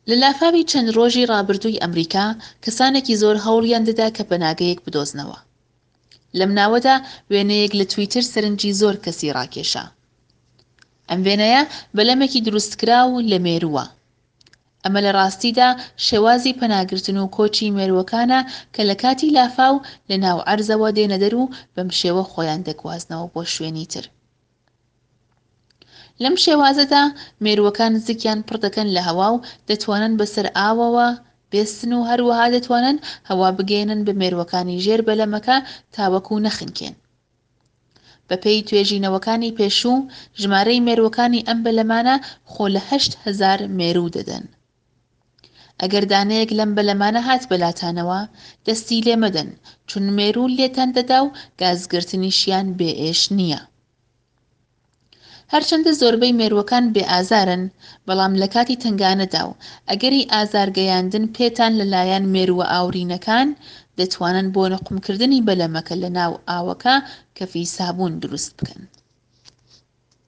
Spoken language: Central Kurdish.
لە لافاوی چەند ڕۆژی ڕابردووی ئەمریکا، کەسانێکی زۆر هەوڵیان دەدا کە پەناگەیەک بدۆزنەوە. لەم ناوەدا وێنەیەک لە تویتر سەرنجی زۆر کەسی ڕاکێشا. ئەم وێنەیە بەلەمێکی دروستکراو لە مێرووە. ئەمە لە ڕاستیدا شێوازی پەناگرتن و کۆچی مێرووەکانە کە لە کاتی لافاو لە ناو عەرزەوە دێنە دەر و بەم شێوە خۆیان دەگوازنەوە بۆ شوێنی تر. لەم شێوازەدا مێرووەکان زگیان پڕ دەکەن لە هەوا و دەتوانن بەسەر ئاوەوە بێستن و هەروەها دەتوانن هەوا بگەیەنن بە مێرووەکانی ژێر بەلەمەکە تاوەکو نەخنکێن. بەپێی توێژینەوەکانی پێشوو، ژمارەی مێرووەکانی ئەم بەلەمانە خۆ لە 8000 مێروو دەدەن. ئەگەر دانەیەک لەم بەلەمانە هات بەلاتانەوە، دەستی لێ مەدەن، چون مێروو لێتان دەدا و گازگرتنیشیان بێ ئێش نییە. هەرچەندە زۆربەی مێرووەکان بێ ئازارن، بەڵام لە کاتی تەنگانەدا و ئەگەری ئازارگەیاندن پێتان لە لایەن مێرووە ئاورینەکان، دەتوانن بۆ نوقمکردنی بەلەمەکە لە ناو ئاوەکە کەفی سابوون دروست بکەن.